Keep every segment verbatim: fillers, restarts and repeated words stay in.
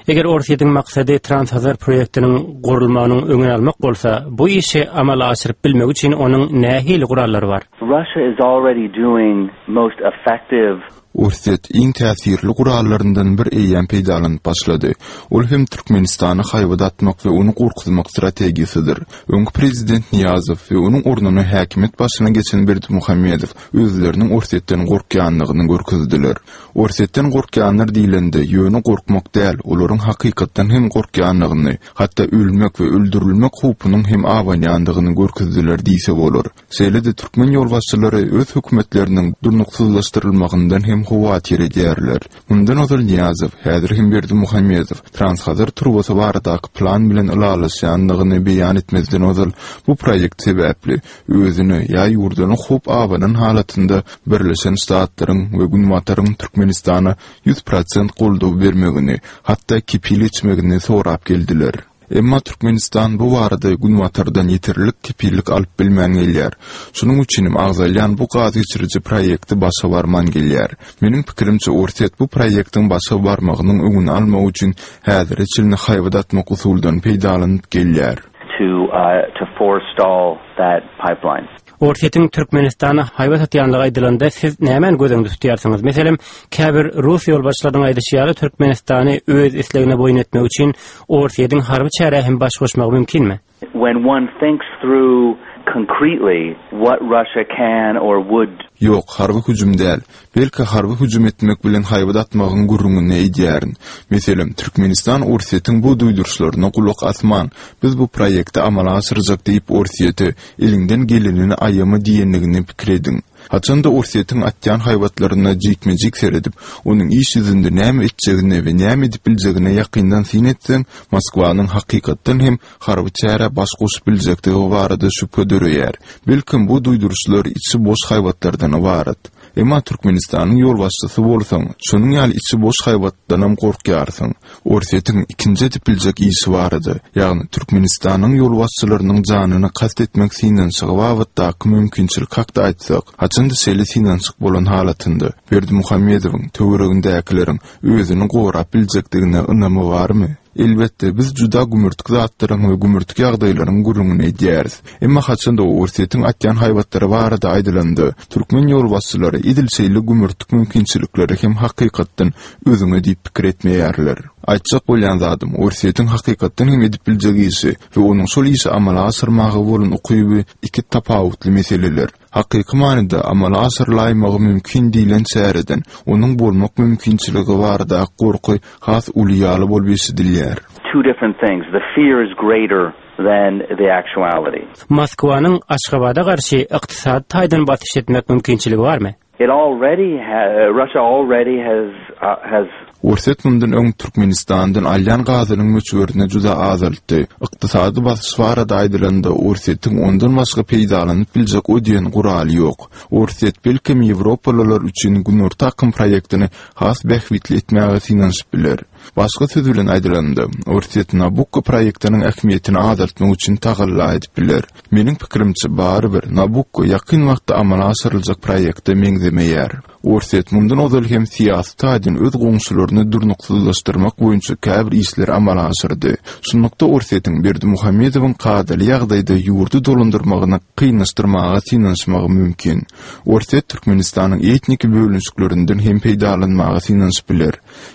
Eger Orsýetiň maksady Transhazar proýektiniň gurulmagynyň öňüni almak bolsa, bu işi amala aşyryp bilmek üçin onuň nähili gurallary bar? Russia is already doing most effective Orsýet iň täsirli gurallaryndan bir eýýäm peýdalanyp başlady. Ol hem Türkmenistana haýbat atmak we ony gorkuzmak strategiýasydyr. Öňki prezident Niýazow we onuň ornuna häkimiýet başyna geçen Berdimuhamedow özleriniň Orsýetden gorkýanlygyny görkezdiler. Orsýetden gorkýanlar diýlende, ýöne gorkmak däl, olaryň hakykatdan hem gorkýanlygyny, hatda ölmek we öldürilmek howpunyň hem abanýandygyny görkezdiler diýse bolar. Şeýle-de türkmen ýolbaşçylary öz hökümetleriniň durnuksyzlaşdyrylmagyndan hem howatyr edýärler. Mundan ozal Niýazow, häzir hem Berdimuhamedow Transhazar turbasy baradaky plan bilen ylalaşýanlygyny beýan etmezden ozal bu proýekt sebäpli özüne ýa ýurduna howp abanan halatynda Birleşen Ştatlaryň we Günbataryň Türkmenistana ýüz prosent goldaw bermegini, hatda kepil geçmegini sorap geldiler. Emma Türkmenistan bu barada Günbatardan ýeterlik kepillik alyp bilmän gelýär. Şonuň üçin hem agzalýan bu gaz geçiriji proýekti başa barman gelýär. Meniň pikirimçe, Orsýet bu proýektiň başa barmagynyň öňüni almak üçin häzire çenli haýbat atmak usuldan peýdalanyp gelýär. to uh, to forestall that pipeline. Orsýetiň Türkmenistana haýbat atýanlygy aýdylanda siz nämäni göz öňünde tutýarsyňyz? Meselem, käbir rus ýolbaşçylarynyň aýdyşy ýaly Türkmenistany öz islegine boýun etmek üçin Orsýetiň harby çärä hem baş goşmagy mümkinmi? When one thinks through concretely what Russia can or would Ýok, harby hüjüm däl. Belki harby hüjüm etmek bilen haýbat atmagyň gürrüňini edýärin. Meselem, Türkmenistan Orsýetiň bu duýduryşlaryna gulak asman, biz bu proýekti amala aşyrjak diýip Orsýete eliňden gelenini aýama diýenligini pikir ediň. Haçanda Orsýetiň atýan haýbatlaryna jikme-jik seredip, onuň iş ýüzünde näme etjegini we näme edip biljegine ýakyndan syn etseň, Moskwanyň hakykatdan hem harby çärä baş goşup biljekdigi barada şübhe döreýär. Belkim bu duýduryşlar içi boş haýbatlardan ybarat. Emma Türkmenistanyň ýolbaşçysy bolsaň, şonuň ýaly içi boş haýbatdanam gorkýarsyň. Orsýetiň ikinji edip biljek işi barada, ýagny Türkmenistanyň ýolbaşçylarynyň janyny kast etmek synanyşygy babatdaky mümkinçilik hakda aýtsak, haçanda şeýle synanyşyk bolan halatynda Berdimuhamedowyň töweregindäkileriň özüni gorap biljekdigine ynamy barmy? Elbetde, biz juda gümürtik zatlaryň we gümürtik ýagdaýlaryň gürrüňini edýäris. Emma haçanda Orsýetiň atýan haýbatlary barada aýdylanda, türkmen ýolbaşçylary edil şeýle gümürtik mümkinçilikleri hem hakykatdan özüňe diýip pikir etmeýärler. Aýtjak bolýan zadym, Orsýetiň hakykatdan hem edip biljek işi we onuň şol işi amala aşyrmaga bolan ukyby iki tapawutly meseleler. Hakyky manyda amala aşyrylaýmagy mümkin diýlen çäreden onuň bolmak mümkinçiligi barada gorky has uly ýaly bolup eşidilýär. two different things. The fear is greater than the actuality. Moskwanyň Aşgabada garşy ykdysady taýdan basyş etmek mümkinçiligi barmy? It already ha- Russia already has uh, has Orsýet mundan öň Türkmenistandan alýan gazynyň möçberini juda azaltdy. Ykdysady basyş barada aýdylanda Orsýetiň ondan başga peýdalanyp biljek o diýen guraly ýok. Orsýet belkem Ýewropalylar üçin Günorta akym proýektini has bähbitli etmäge synanyşyp biler. Başga söz bilen aýdylanda, Orsýet Nabukko proýektiniň ähmiýetini azaltmak üçin tagalla edip biler. Meniň pikirimçe barybir Nabukko ýakyn wagtda amala aşyryljak proýekte meňzemeýär. Orsýet mundan ozal hem syýasy taýdan öz goňşularyny durnuksyzlaşdyrmak boýunça käbir işleri amala aşyrdy. Şunlukda Orsýetiň Berdimuhamedowyň kadaly ýagdaýda ýurdy dolandyrmagyny kynlaşdyrmaga synanyşmagy mümkin. Orsýet Türkmenistanyň etnik bölünişiklerinden hem peýdalanmaga synanyşyp biler.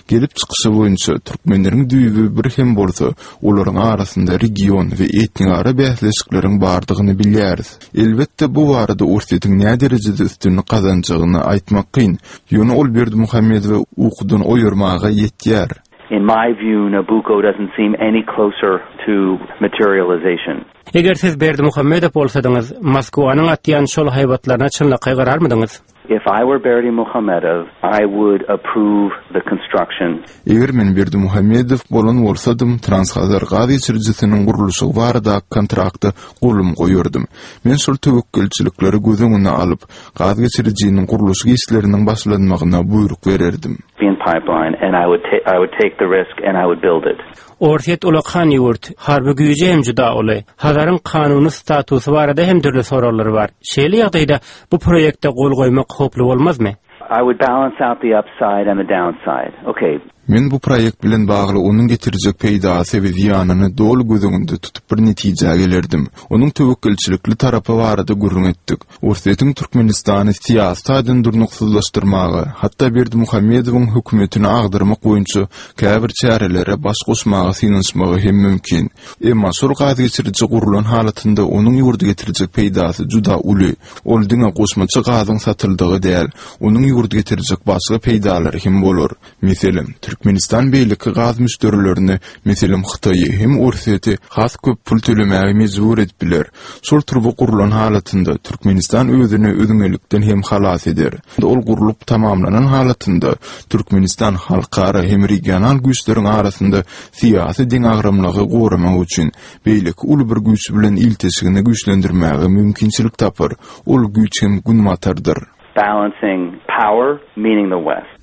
Gelip çykyşy boýunça türkmenleriň düýbi bir hem bolsa, olaryň arasynda region we etnikara bäsleşikleriň bardygyny bilýäris. Elbetde bu barada Orsýetiň näme derejede üstünlik gazanjagyny aýtmak kyn. Ýöne ol Berdimuhamedowy ukudan oýarmaga ýetýär. in my view Nabucco doesn't seem any closer to materialization. Eger siz Berdimuhamedow bolsadyňyz, Moskwanyň atýan şol haýbatlaryna çynlakaý gararmydyňyz? If I were Berdimuhamedow, I would approve the construction. Eger men Berdimuhamedow bolan bolsadym, Transhazar gaz geçirijisiniň gurluşygy barada kontrakta golum goýardym. Men şol töwekgelçilikleri göz öňüne alyp, gaz geçirijiniň gurluşyk işleriniň başlanmagyna buýruk bererdim. pipeline and I would I would take the risk and I would build it. Orsýet ulakan ýurt, harby güýji hem juda uly. Hazaryň kanuny statusy barada hem dürli soraglar bar. Şeýle ýagdaýda bu proýekte gol goýmak howply bolmazmy? I would balance out the upside and the downside. Okay. Men bu proýekt bilen bagly onuň getirjek peýdasy we zyýanyny doly göz öňünde tutup bir netijä gelerdim. Onuň töwekgelçilikli tarapy barada gürrüň etdik. Orsýetiň Türkmenistany syýasy taýdan durnuksyzlaşdyrmaga, hatda Berdimuhamedowyň hökümetini agdarmak boýunça käbir çärelere baş goşmaga synanyşmagy hem mümkin. Emma şol gaz geçiriji gurulan halatynda onuň ýurda getirjek peýdasy juda uly. Ol diňe goşmaça gazyň satyldygy däl, onuň ýurda getirjek başga peýdalary hem bolar. Meselem, Türkmenistan beýleki gaz müşderilerini, meselem Hytaýy hem Orsýeti has köp pul tölemäge mejbur edip biler. Şol turba gurulan halatynda Türkmenistan özüni üzňelikden hem halas eder. Ol gurlup tamamlanan halatynda Türkmenistan halkara hem regional güýçleriň arasynda syýasy deňagramlygy goramak üçin beýleki uly bir güýç bilen ilteşigini güýçlendirmäge mümkinçilik tapar. Ol güýç hem Günbatardyr. Balancing power, meaning the West.